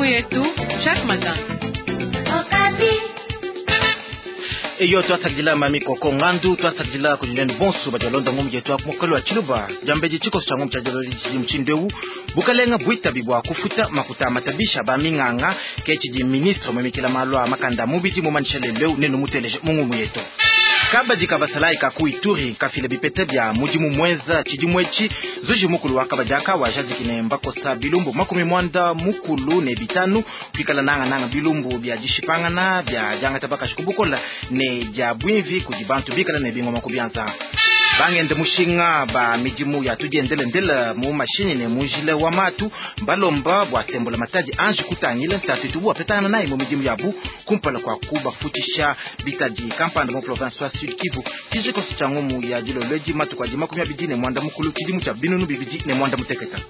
Yetu Jacques Matin. Eyo, twasakidila Mami Koko Ngandu, twasakidila kudi nenu bonso badi balonda ngumu yetu ya mokolo wa Tshiluba. Diambedi, tshikoso tshia ngumu tshia dilolo mushindu eu: bukalenga buitabi bua kufuta makuta matabisha ba minganga, ke tshidi ministre muimikila malu a makanda mubidi mumanyisha lelu eu. Nenu muteleje mu ngumu yetu. Kabadi ka basalayi ka ku Ituri kafila bipeta bia mudimu muenza tshidimu etshi. Zuji mukulu wa kabadi aka wajadiki ne mbakosa bilumbu 95, kuikala nangananga bilumbu bia dishipangana, bia diangata bakashi ku bukola ne dia buimvi kudi bantu bikala ne bingoma ku bianza. Bangende mushinga ba midimu ya tudiendelendela mu mashinyi ne mu njila wa matu balomba bua sembula matadi anji kutangila ntatu itubu bapetangana nayi mu midimu yabu kumpala kua kubafutshisha bitadi kampanda mu province wa Sud Kivu. Tshijikoso tshia ngumu ya dilolo edi, matuku adi 28 tshidimu tshia 2016.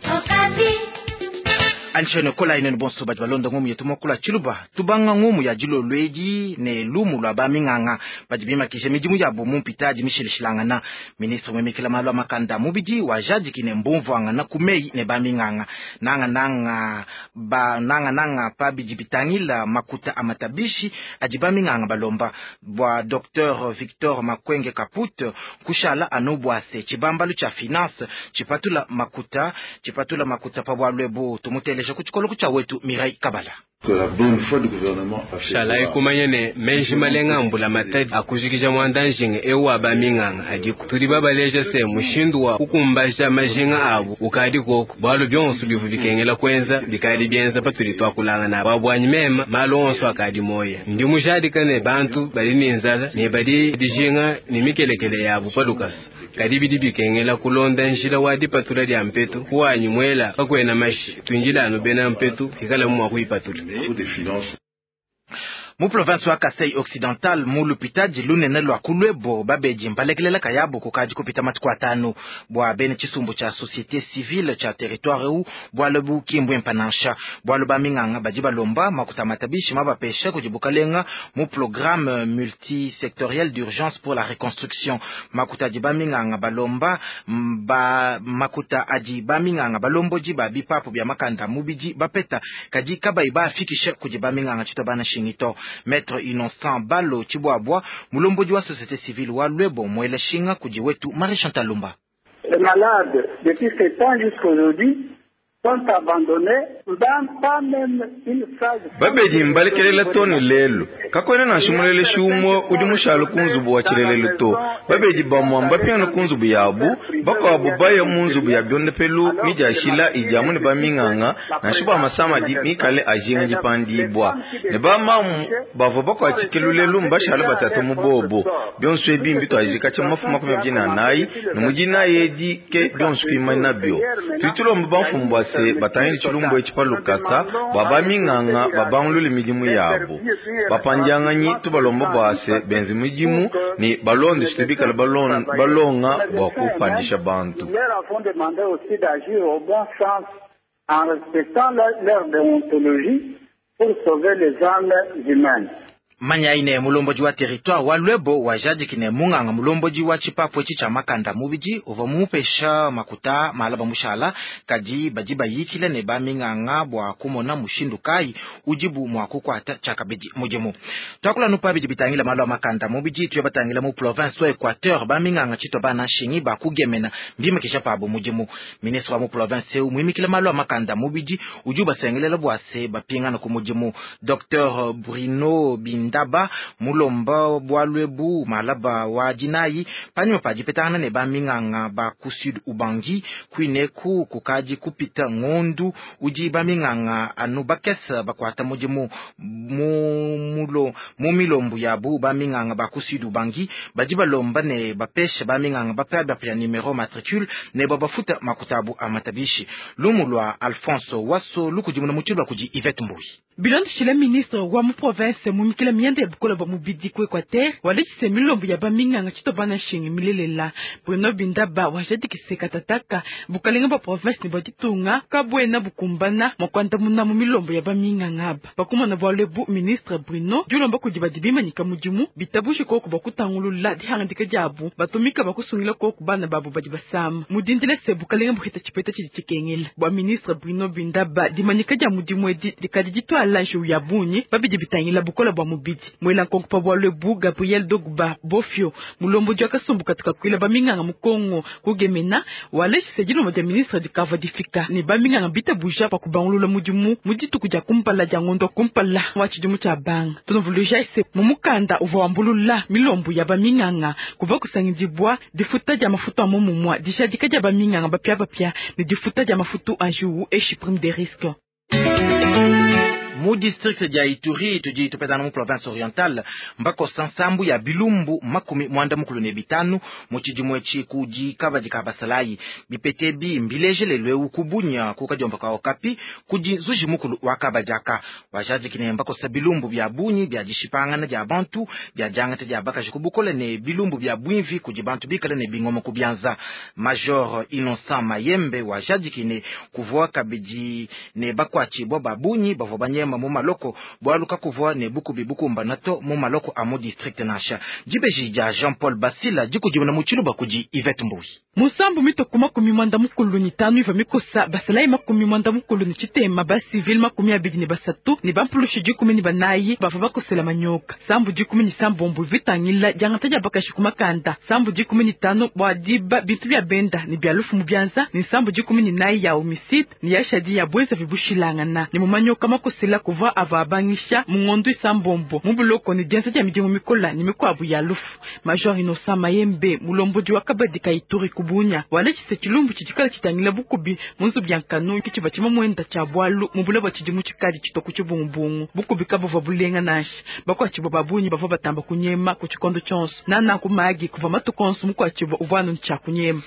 Anshene kola inene bonso badi balonda ngumu yetu mokula Tshiluba. Tubanga ngumu ya dilolo edi ne lumu lua baminganga badi bimakisha midimu yabo mu mpitadi mishilishilangana. Ministre muimikila malu a makanda mubidi wajadiki ne mbumvuangana ku meyi ne baminganga nangananga ba nangananga pa bidi bitangila makuta a matabishi adi baminganga balomba. Bua Dr Victor Makwenge Kaput, kushala anu bua se tshibambalu tshia finance tshipatula makuta pa bualu ebu. Tumuteleja ku tshikolo tshia wetu Mireille Kabala. Shalayi kumanya ne meji malenga ambula matadi akujikija muanda njinga eu wa baminganga adiku. Tudi babaleja se mushindu wa kukumbaja majinga abu ukadi koku, bualu bionso bivu bikengela kuenza bikadi bienza. Patudi twakulangana bwabwanyi mema, malu onso akadi moya. Ndi mujadika ne bantu badi ne nzala ne badi dijinga ne mikelekele yabu pa lukasa, kadi bidi bikengela kulonda njila wa dipatula dia mpetu. Kuwanyi mwela kakwena mashi, twinjila anu bena mpetu ikala mua kuyipatula. Mu province wa Kasai Occidental, mu lupitadi lunene lua Kulwebo, babedi mbalekelela kayabu kukadi kupita matuku 5. Bua bene tshisumbu tshia société civile tshia territoire eu, bualu bu ki nansha, bualu baminganga badi balomba makuta matabishi mabapesha kudi bukalenga mu programme multisectoriel d'urgence pour la reconstruction. Makuta adi baminganga balomba ba makuta adi baminganga balombodi ba bipapu bia makanda mubidi bapeta, kadi kabayi bafikisha kudi baminganga tshito bana shingito. Maître Innocent Balo Chibwabwa, mulombodi wa société civile wa Lwebo, mwela shinga kudi wetu Marie Chantal Lumba. Les malades, depuis 7 ans jusqu'aujourd'hui, sont abandonnés dans pas même une phase. Babedi mbalekelela toni lelu, kakwena nansha muleleshi umwe udi mushale ku nzubu wa tshilelelu to. Babedi bamwa mbapiana ku nzubu yabu, bakuabu baya mu nzubu ya byondepelu midiashila idiamu ne baminganga nansha bua masama adi mikale ajinga dipandibwa ne bamamu bavua bakuatshike lulelu mbashale batata mu bobo. Bionso ebi mbituajika tshia mafu 24 ne mudinayi edi ke bionso kuimana byo. Tudi tulomba bamfumu bua se batangile tshilumbu etshi pa lukasa bua baminganga babangulule midimu yabo. Bapandianganyi tubalomba bua se benze midimu ne balonde tshitu bikala balonga bua kupandisha bantu. Leur avons demandé aussi d'agir au bon sens en respectant leur déontologie pour sauver les âmes humaines. Manya ine mulombodi wa territoire wa Lwebo wajadiki ne munganga mulombodi wa tshipapu etshi tshia makanda mubidi uvua mumupesha makuta malaba mushala, kadi badi bayikila ne baminganga bua kumona mushindu kayi udibu mua kukuata tshiakabidi mudimu. Tuakula nupa bidi bitangila malu a makanda mubidi, tuya batangila mu province wa Equateur. Baminganga tshitwa bana nshingi bakugemena mbimikisha pabo mudimu. Ministre wa mu province eu muimikila malu a makanda mubidi udi ubasengelela bua se bapingana ku mudimu. Dr Bruno Bindaba mulomba bualu ebu malaba wa dinayi panyima pa dipetangana ne baminganga ba ku Sud Ubangi. Kuineku kukadi kupita ngondu udi baminganga anu bakese bakuata mudimu. Mu milombu yabu, baminganga ba ku Sud Ubangi badi balomba ne bapesha baminganga bapia numero matricule ne babafuta makuta abu a matabishi. Lumu lua Alphonse Waso lukudimuna mu Tshiluba kudi Yvette Mbui. Bilondeshile ministre wa mu province mumikila mianda ya bukola bwa mubidi ku Equateur walekise milombo ya baminganga tshitoba na nshingi milelela. Bruno Bindaba wajadikise katataka bukalenga bwa province ne bwa ditunga kabwena bukumbana mwakwandamuna mu milombo ya baminganga aba. Bakumana bwa lebu ministre Bruno dilomba kudi badi bimanyika mudimu bitabushi koku bakutangulula dihangadika diabu batumika bakusungila koku bana babu badi basama. Mudindile se bukalenga buhita tshipeta tshidi tshikengela. Bwa ministre Bruno Bindaba dimanyika dia mudimu edi dikadi ditwala njiwu ya bunyi babidi bitangila bukola bwa mubidi. Mwela nkonko pa bwa lwebu Gabriel Dogba Bofio mulombo dia kasumbu katuka kwila baminganga mukongo kugemena waleshise dilombo dia ministre dikava difika ne baminganga bitabuja pa kubangulula mudimu mudituku dia kumpala dia ngondo kumpala wa tshidimu tshia banga. Tunovuluja ise mumukanda uvua wambulula milombo ya baminganga kuva kusangidibwa difuta dia mafutu a momumwa dishadika dia baminganga bapia bapia ne difuta dia mafutu a njiwu eshi prime de risque. Mu district dia Ituri tudi tupetana mu province orientale mbakosa nsambu ya bilumbu 15 mu tshidimu etshi kudi kabadi ka basalayi bipete bi mbilejelelwe kubunya kukadiomba ka okapi kudi nzuji mukulu wa kabadiaka wajadikine mbakosa bilumbu bya bunyi bya dishipangana dia bantu bya diangata dia bakaji kubukola ne bilumbu bya bwimvi kudi bantu bikala ne bingoma kubyanza. Major Innocent Mayembe wajadikine kuvua kabidi ne bakwatshibwa babunyi bavua banyema mu maloko bwalu kakuvua ne bukubi bukumba nato mu maloko a mu district nasha. Dibeji dia Jean-Paul Basila dikudimuna mu tshiluba kudi Yvette Mbuyi. Musambu mitoku 95 iva mikosa basalayi 93 ba civil 23 ne bampulushi 14 bava bakosela manyoka. Sambu 16 vitangila diangata dia bakashi kumakanda. Sambu 15 bwa diba bintu bya benda ne bya lufu mu byanza ne sambu 14 ya homicide ne ya shadi ya bweza vibushilangana ne mu manyoka makosela kuva ava abangisha mungondo isambombo mu buloko ne dienza dia midimu mikola ne mikwabu ya lufu. Major Innocent Mayembe mulombodi wa kabadi ka Ituri kubunya walechise chilumbu chichikala chitangila bukubi munzu byankanu kichiba chima mwenda cha bwalu mubula bwa chidimu chikali chitoku chibungubungu bukubi kabuva bulenga nashi bakwachibo babunyi bava batamba kunyema ku chikondo chonso nana kumagi kuva matukonso mukwachibo uvwanu ncha kunyema.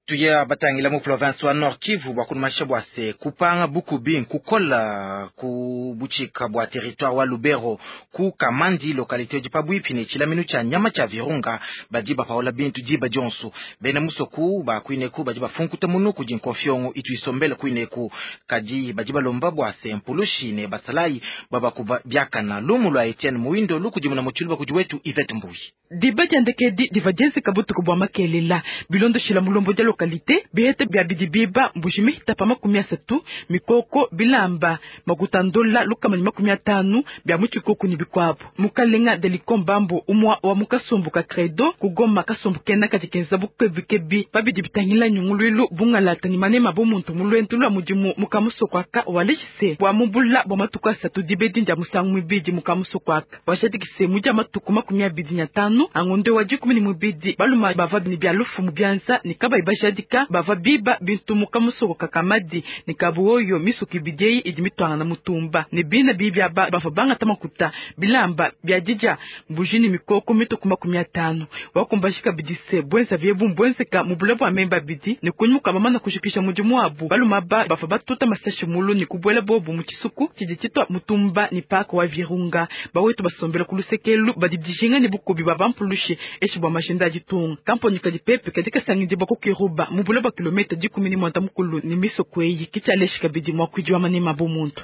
Tuya batangila mu province wa Nord Kivu bwa kunumasha bwa se kupanga bukubi nkukola ku buchika bwa territoire wa Lubero ku Kamandi localité di pabwipi ne chilaminu cha nyama cha Virunga badi bapaola bintu diba dionso bena musoku ba kuineku badi bafunkuta munu kudi nkofyongo itu isombele kuineku kadi badi balomba bwa se mpulushi ne basalayi babakuba byakana lumu lwa Etienne Muindo lukudimuna mu tshiluba kudi wetu Yvette Mbuyi. Diba diandekedi diva dienzeka butuku bwa makelela bilondoshila mulombo dia localité bihete bya bidibiba mbuji mihita pa 30 mikoko bilamba makutandola lukamani 50 bya muchikoku ni bikwabu. Mukalenga delikombambo umwa wa mukasumbu ka credo kugoma kasumbu kena katikenza bukebikebi babidi bitangila nyungulwilu bungalata ni manema bomuntu mulwentu lwa mudimu mukamusokwaka waleshise bwa mubula bwa matuku asatu dibedi ndia musangu mwibidi mukamusokwaka washadikise muja matuku 25 angonde wa 12 baluma bava ni bya lufu mu byanza ni kabayi bajadika bava biba bintu mukamusoko kakamadi ni kabuoyo misuki bideyi idi mitwanga na mutumba ni bina bibya bava bangata makuta bilamba bya dija mbujini mikoko mituku 50 wakumbashika bidise bwenza byebu mbwenzeka mubula bwa memba bidi ni kunyuka bamana kushikisha mudimu wabu baluma ba bava batuta masashi mulu ni kubwela bobu mu chisuku chidititwa mutumba ni paka wa Virunga bawetu basombela kulusekelu badidijinga ni bukubi babampulushi eshi bwa mashinda ajitunga kamponi kadi pepe kadika sangidi bakukiruba mubula bwa kilomita 10 mukulu ni misoko eyi kichaleshi kabidi mwa kwijwa manema bomuntu.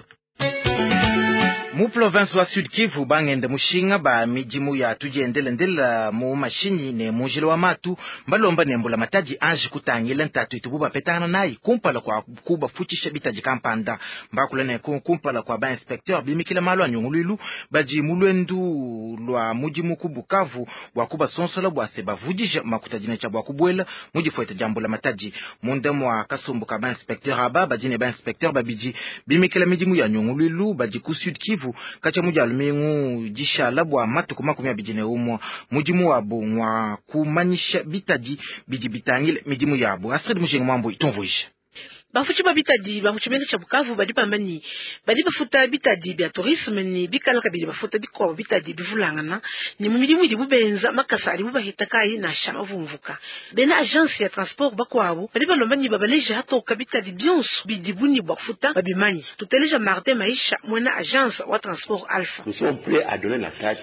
Mu province wa Sud Kivu bangende mushinga ba midimu ya tujiendelendela mu mashinyi ne munjila wa matu mbalomba ne mbula mataji anji kutangila ntatu itubu bapetana nayi kumpala kwa kubafutshisha bitaji kampanda mbakula ne kumpala kwa ba inspecteur bimikila malu anyungulwilu baji mulwendu lwa mudimu ku Bukavu bwa kubasonsola bwa se bavudisha makutadina cha bwa kubwela mudifueta jambula mataji munda mwa kasumbu ka ba inspecteur aba baji ne ba inspecteur babiji bimikila midimu ya nyungulwilu baji ku Sud Kivu kacha mujalumingu dishala bwa matuku 21 mudimu wabo ngwa kumanyisha bitadi bidi bitangile midimu yabo. Astrid Mushinga Mwambo itumvuisha. Bafutshi ba bitadi ba mu tshimenga tshia Bukavu badi bamba ne badi bafuta bitadi bia tourisme ne bikala kabidi bafuta bikuabu bitadi bivulangana ne mu midimu idibu benza makasa adibu bahita kayi nansha mavumvuka. Bena agence ya transport bakuabu badi balomba ne babaleja hatoka bitadi bionso bidibu ne bua kufuta babimanye. Tuteleja Martin Maisha muena agence wa transport Alpha.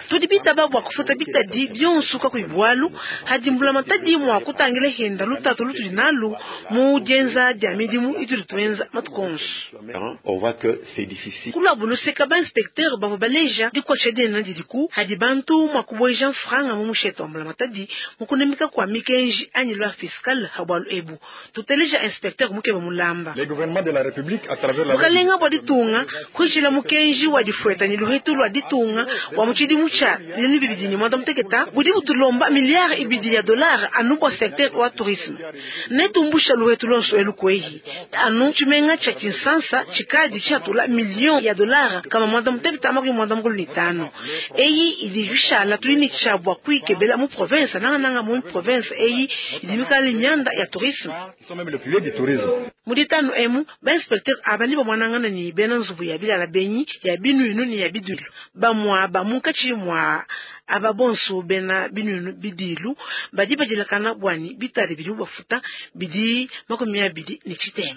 Tudi bitaba bua kufuta bitadi bionso kakuyi bualu hadi mbulamatadi mua kutangila henda lutatu lutudi nalu mu dienza dia midimu itudi tuenza matuku onso. Kuluabu luseka ba inspecteur bavua baleja dikuatshisha dinene didiku hadi bantu mua kubueja mfranga mu mushete wa mbulamatadi mu kunemeka kua mikenji anyi loi fiscale ha bualu ebu. Tuteleja inspecteur Mukeba Mulamba. Bukalenga bua ditunga kuishila mukenji wa difueta ne luhetu lua ditunga wa mu tshidimu tshia 2016 budi butulomba milliard ibidi ya dollar anu bua secteur wa tourisme. Netumbusha luhetu lonso elu kwehi anu tshimenga tshia Kinshasa tshikadi tshiatula million ya dollar kama 95. Eyi idi bishala tudi ne tshia bua kuikebela mu province nangananga mu province eyi idi mikala mianda ya tourisme. Mu ditanu emu ba inspecteur abandi bamwanangana ne bena nzubu ya bilala benyi ya binuinu ne ya bidilu bamwa ba munkatshi mwa aba bonso bena binuinu bidilu badi badilakana bwani bitadi bidi bafuta bidi 23.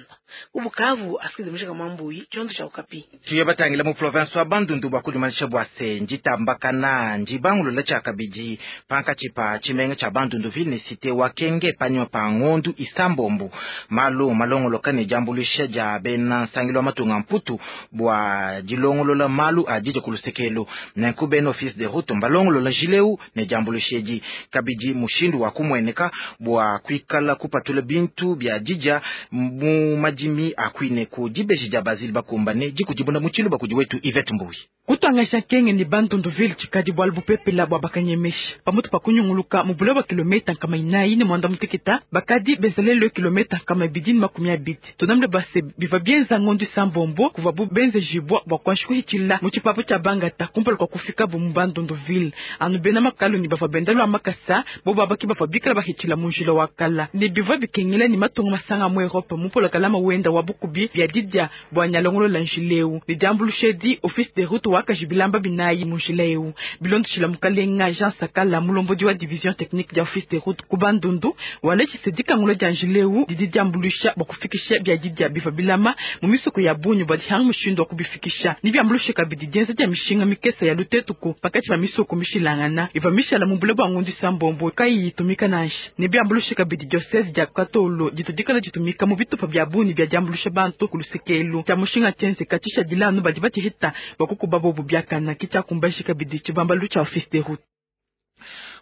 Ubukavu asikize mushika mwambuyi chondo cha Okapi. Tuye batangila mu province wa Bandundu bua kudimanisha bua se njitambakana njibangulula tshia kabidi pankatshi pa tshimenga tshia Bandundu ville ne cité wa Kenge panyima pa ngondu isambombo malu malongoloka ne diambuluisha dia bena nsangilu wa matunga mputu bua dilongolola malu a didi kulusekelo nenku bena office de route mbalongolola jileu ne diambuluisha edi kabidi mushindu wa kumweneka bua kuikala kupatula bintu bia didia mu madimi akwine ku dibeji dia Bazili bakumbane dikudibuna mu tshiluba kudi wetu Yvette Mbuyi. Kutangasha Kenge ni Bandundu ville tshikadi bualu bupepela bua bakanyemesha pamutu pa kunyunguluka mu bule bua kilometa nkama inayi ne mwanda muteketa bakadi benzalelo kilometa nkama ibidi ne makumi abidi. Tunamle base biva bienza ngondu isambombo kuva bu benze jibwa bua kuanshi kuhitshila mu tshipapu tshia Bangata kumpala kua kufika bu mu Bandundu ville. Anu bena makalu ni bava benda lua makasa bo babaki bava bikala bahitshila mu njila wa kala ne biva bikengela ni matunga masanga mu Europe mu polokalama wenda wa bukubi bia didia bua nyalongolola njileu ne diambuluisha edi office de route wakajibilamba binayi mu njila eu bilondeshila mukalenga Jean Sakala mulombodi wa division technique dia office de route ku Bandundu waleshise dikangula dia njileu didi diambuluisha bua kufikisha bia didia biva bilama mu misoko ya bunyu bua dihanga mushindu wa kubifikisha ni biambuluisha kabidi dienza dia mishinga mikesa ya lutetuku pakati pa misoko mishilangana iva mishala mu bule bua ngundu isambombo kayi itumika nansha ni biambuluisha kabidi diocese dia Katolo ditudikala ditumika mu bitupa bia bunyu bia diambuluisha bantu kulusekelu tshia mushinga tshienzeka tshishadilanu badi batshihita bua kukuba bobu biakana kitshiakumbashi kabidi tshibambalu tshia office de route.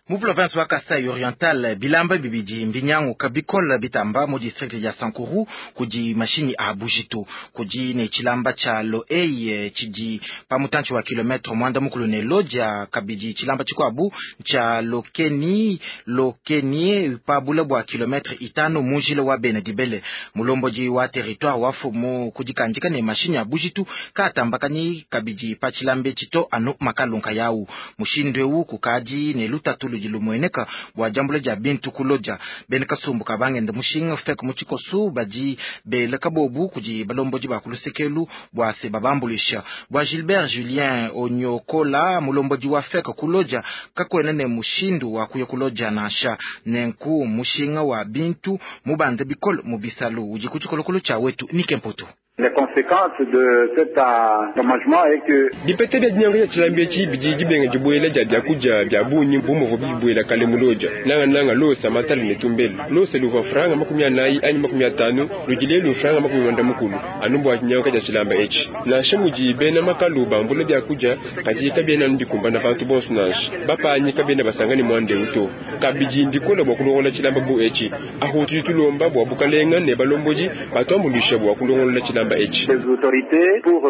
Mu province wa Kasai Oriental bilamba bibidi mbinyanguka bikola bitamba mu district ya Sankuru kudi mashinyi a bujitu kudi ne tshilamba tshia Loei tshidi pa mutantshi wa kilometre mwanda mukulu ne Lodja kabidi tshilamba tshikuabu tshia Lokeni Lokenie pa bule bua kilometre itano mu njila wa Bena Dibele. Mulombodi wa territoire wa fumu kudikandika ne mashinyi a bujitu katambakanyi kabidi pa tshilamba tshito anu makalunka yau mushindu eu kukadi ne lutatu lumueneka bua diambula dia bintu kuloja bena kasumbu kabangenda mushinga feka mu tshikosu badi bela kabobu kudi balombodi ba kulusekelu bua se babambulisha bua Gilbert Julien Onyokola mulombodi wa feka kuloja kakwena ne mushindu wa kuya kuloja nansha nenku mushinga wa bintu mubanda bikolo mu bisalu udi ku tshikolokolo tshia wetu Nikempoto. Les conséquences de cet endommagement est que dipete bia dinyango ya tshilambi etshi bidi dibenga dibuela dia biakudia bia bungi bu muvua bibuela kale mu Lodja nangananga losa matala ne tumbele losa luvua franga 40 anyi 50 ludi lelu franga 90 anu bua dinyango dia tshilamba etshi nansha mudi bena makalu bambula biakudia kadi kabiena ndikumbana bantu bonso nansha bapanyi kabiena basangane mwande uto kabidi mbikola bua kulongola tshilamba bu etshi ahu tudi tulomba bua bukalenga ne balombodi batuambuluisha bua kulongola tshilamba les autorités pour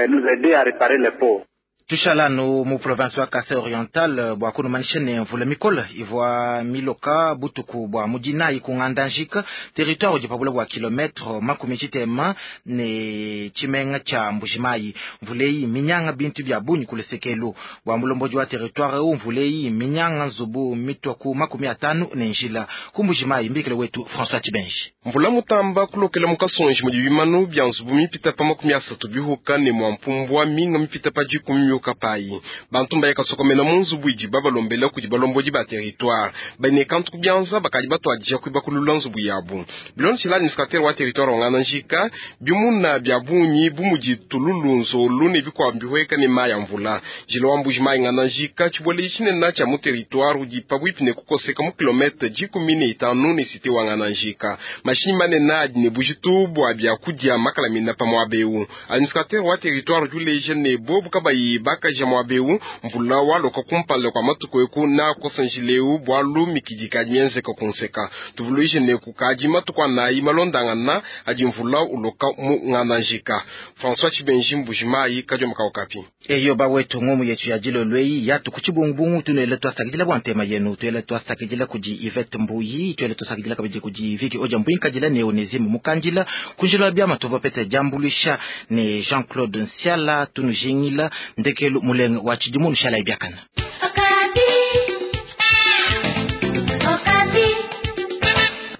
nous aider à réparer les pots. Tushala anu mu province wa Kasai Oriental bua kunumanyisha ne mvula mikole ivua miloka butuku bua mudinayi ku Ngandanjika, territoire udi pabula bua kilometre 60 ne tshimenga tshia Mbujimayi. Mvula eyi minyanga bintu bia bungi ku lusekelu. Bua mulombodi wa territoire eu, mvula eyi minyanga nzubu mitua ku 50 ne njila ku Mbujimayi. Mbikile wetu François Tshibenji. Mvula mutamba kulokela mu Kasonji mudi bimanu bia nzubu mipita pa 30 bihuka ne mua mpumbua minga mipita pa 10 miuka payi. Bantu mbaya kasokomena mu nzubu idi babalombela kudi balombodi ba territoire bane kantu kubianza bakadi batwadija kuibakulula nzubu yabu. Bilondeshila administrateur wa territoire wa Ngandanjika, bimuna bia bungi bu mudi tululu, nzolu ne bikuabu bihueka ne mayi a mvula. Njila wa Mbujimayi Ngandanjika, tshibueledi tshinene tshia mu territoire, udi pabuipi ne kukoseka mu kilometre 15 ne cité wa Ngandanjika. Mashinyi manene adi ne bujitu bua biakudia makalamina pa muaba eu. Administrateur wa territoire udi uleja ne bobu kabayi bakaja muaba eu, mvula waloka kumpala kua matuku eku na kosa njila eu bualu mikidi kadi mienzeka kunseka. Tuvuluije ne kukadi matuku anayi malondangana adi mvula uloka mu Ngandanjika. François Tshibenji, Mbujimayi, Kadiomba ka Okapi. Eyo bawetu, ngomu yetu ya dilolo eyi yatu ku tshibungubungu. Tunuele twasakidila bua ntema yenu, tuele twasakidila kudi Yvette Mbuyi, tuele twasakidila kabidi kudi Viki Odia Mbuinkadila ne Onésime Mukandila kunjila wa biama tuvua pete diambuluisha ne Jean-Claude Nsiala. Tunujingila ndekelu mulenge wa tshidimu, nushala ibiakana.